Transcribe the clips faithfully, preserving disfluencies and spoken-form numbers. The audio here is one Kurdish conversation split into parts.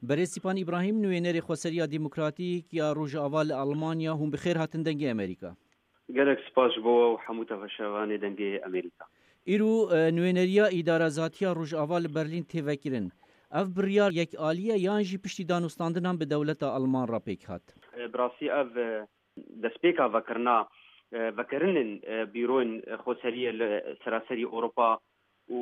Berêz Sîpan Îbrahîm, nûênerê Xweseriya Demokratîk ya Rojava li Almanya, hûn bi xêr hatin Dengê Amerîka. Gelek spas ji bo we û hemû temaşevanê Dengê Amerîka. Îro, e, nûêneriya îdarazatiya Rojava li Berlîn tê vekirin. Ev biryar yekalî ye yan jî piştî danûstandinan bi dewleta Alman re pêk hat? E, bi rastî ev, e, destpêka vekirina, e, vekirinên, e, bîroyên, e, xweseriyê li seraserî Ewropa û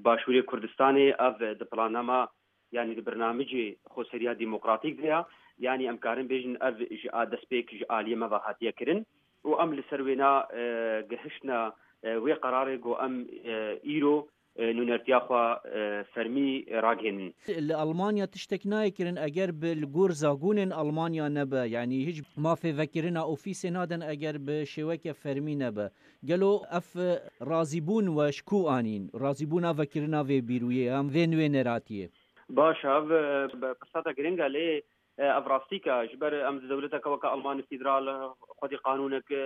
Başûrê Kurdistanê, ev, e, di plannama, yanî di bernamicê xweseriya demokratîk de ya, yanî em karin bêjin ev ji a destpêk ji aliyê me ve hatiye kirin û em li ser wêna, e, gihiştine, e, wê qerarê ku em, e, îro, e, nûnertiya xwe, e, fermî ragihînin. Li Almanya tiştek nayê kirin eger bi li gor zagonên Almanya nebe, yanî hiç mafê vekirina ofîsê nadin eger bi şêweke fermî nebe. Gelo ev, e, razîbûn we ji ku anîn? Razîbûna vekirina vê bîroyê yan vê nûêneratiyê? Baş, ev, e, bi-, pirsata giring e, lê, e, ev rastîk e. Ji ber em di dewleteke weke Almanya Federal, e, xwedî qanûnek, e,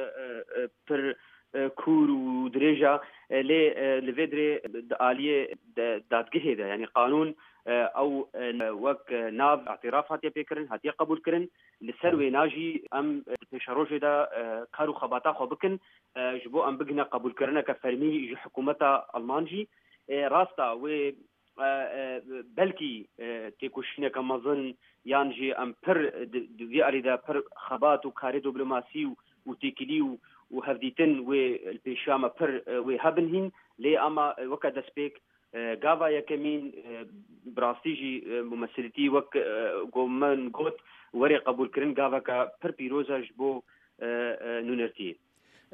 e, pir, e, kûr û dirêj e, e, lê, e, li vê dirê di aliyê de, dadgehê de, yanî qanûn, e, ew, e, wek, e, nav îtiraf hatiye pêkirin, hatiye qebûlkirin. Li ser wêna jî em, e, di pêşerojê de, e, kar û xebata xwe bikin, e, ji bo em bigihine qebûlkirineke fermî ji hikûmeta Alman jî. E, rast e, wê, e, e, belkî, e, têkoşîneke mezin yan jî em pir di, di vî alî de pir xebat û karê diplomasî û, û têkilî û, û hevdîtin wê li pêşiya me pir, e, wê hebin hîn, lê ema, e, weke destpêk, e, gava yekemîn, e, bi rastî jî, e, mumesilîtî wek, e, ku min got, werê qebûlkirin gaveke pir pîroz e ji bo, e, e, nûnertiyê.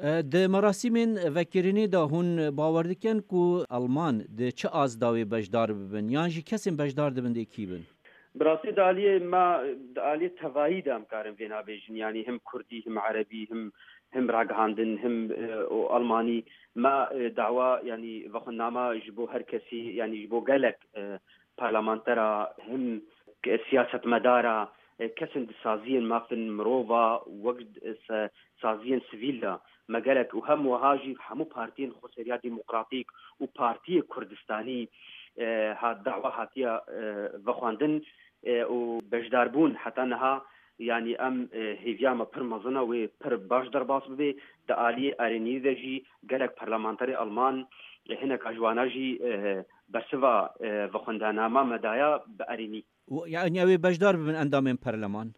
E, di merasîmên vekirinê de hûn bawer dikin ku Alman di çi azdawê beşdar bibin, yan jî kesên beşdar dibin dê kî bin? Bi rastî di aliyê me, di aliyê tevayî de em karin vêna bêjin, yanî him kurdî, him erebî, him, him ragihandin, him, e, û almanî. Me, e, dawa, yanî vexwendnama ji bo her kesî, yanî ji bo gelek, e, parlamentera, him siyasetmedara, e, kesên di saziyên mafên mirova, wek, e, se-, saziyên sivîl de me gelek û hem wiha jî hemû partiyên Xweseriya Demokratîk û Partiyê Kurdistanî, e, hat dawa hatiye, e, vexwendin, e, û beşdarbûn heta niha, yanî em, e, hêviya me pir mezin e, wê pir baş derbas bibe. Di aliyê erênî de jî gelek parlamenterê Alman, e, hineka ji wana jî, e, bersiva, e, vexwendanama me daya bi erênî. Û, yanî ew ê beşdar bibin endamên perleman?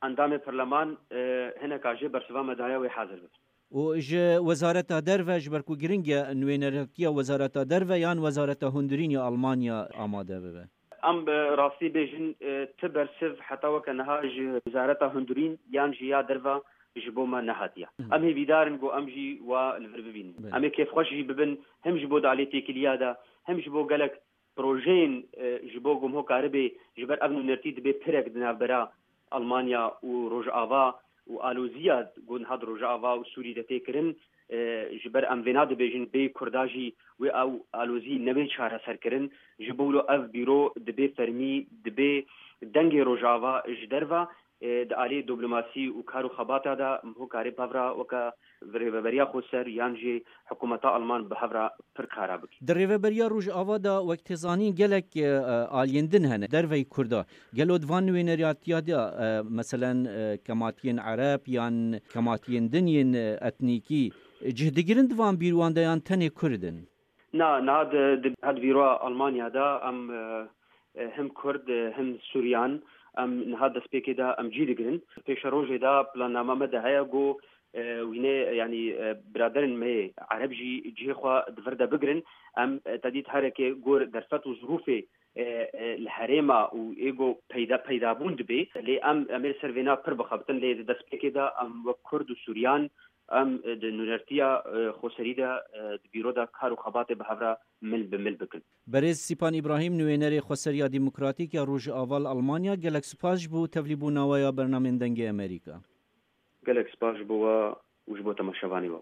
Endamên perleman, e, hineka jê bersiva me daye wê hazir bibin. Û ji Wezareta Derve, ji ber ku giring e, nûêneratiya Wezareta Derve yan Wezareta Hundirîn ya Almanya amade bibe? Em bi rastî bêjin, e, ti bersiv heta weke niha ji Wezareta Hundirîn yan jî ya Derve ji bo me nehatiye. Hı. Em hêvîdar in ku em jî wa li vir bibînin. Belê. Em ê kêfxweş jî bibin, him ji bo dalê têkiliya de, him ji bo gelek projeyên, e, ji bo ku niha karibe, ji ber ev nûnertî dibe pirek di navbera Almanya û Rojava û aloziya ku niha di Rojava û Sûrî de tê kirin, e, ji ber em vêna dibêjin bê Kurda jî wê ew alozî nebe çareserkirin. Ji bo wilo ev bîro dibe fermî, dibe dengê Rojava ji derve, e, di alî diplomasî û kar û xebata de em ho karê bi hev re weke Rêveberiya Xweser yan jî hikûmeta Alman bi hev re pir kara bike. Di Rêveberiya Rojava de wek tê zanîn gelek, e, aliyên din hene derveyî Kurda. Gelo di van nûêneratiya de, e, meselen, e, kematiyên Ereb yan kematiyên din yên, e, etnîkî cih digirin di van bîrowan de yan tenê Kurd in? Na, niha di, di, di bîroya Almanya de em, e, e, him Kurd, e, him Suryan, em niha destpêkê de em cî digirin. Pêşerojê de plannama me de heye ku, e, wînê, yanî, e, biraderên me yê Ereb jî cihê xwe di vir de bigirin. Em, e, tedît hereke gor derfet û zirûfê, e, e, li herêma û ê ku peyda, peydabûn dibe. Lê em, em ê li ser vêna pir bixebitin, lê di destpêkê de em wek Kurd û Suryan, em, e, di nûnertiya, e, xweserî de, e, di bîro de kar û xebatê bi hev re mil bi mil bikin. Berêz Sîpan Îbrahîm, nûênerê Xweseriya Demokratîk ya Rojava li Almanya, gelek spas ji bo tevlîbûna we ya bernamên Dengê Amerîka. Gelek spas ji bo we û ji bo temaşevanê we.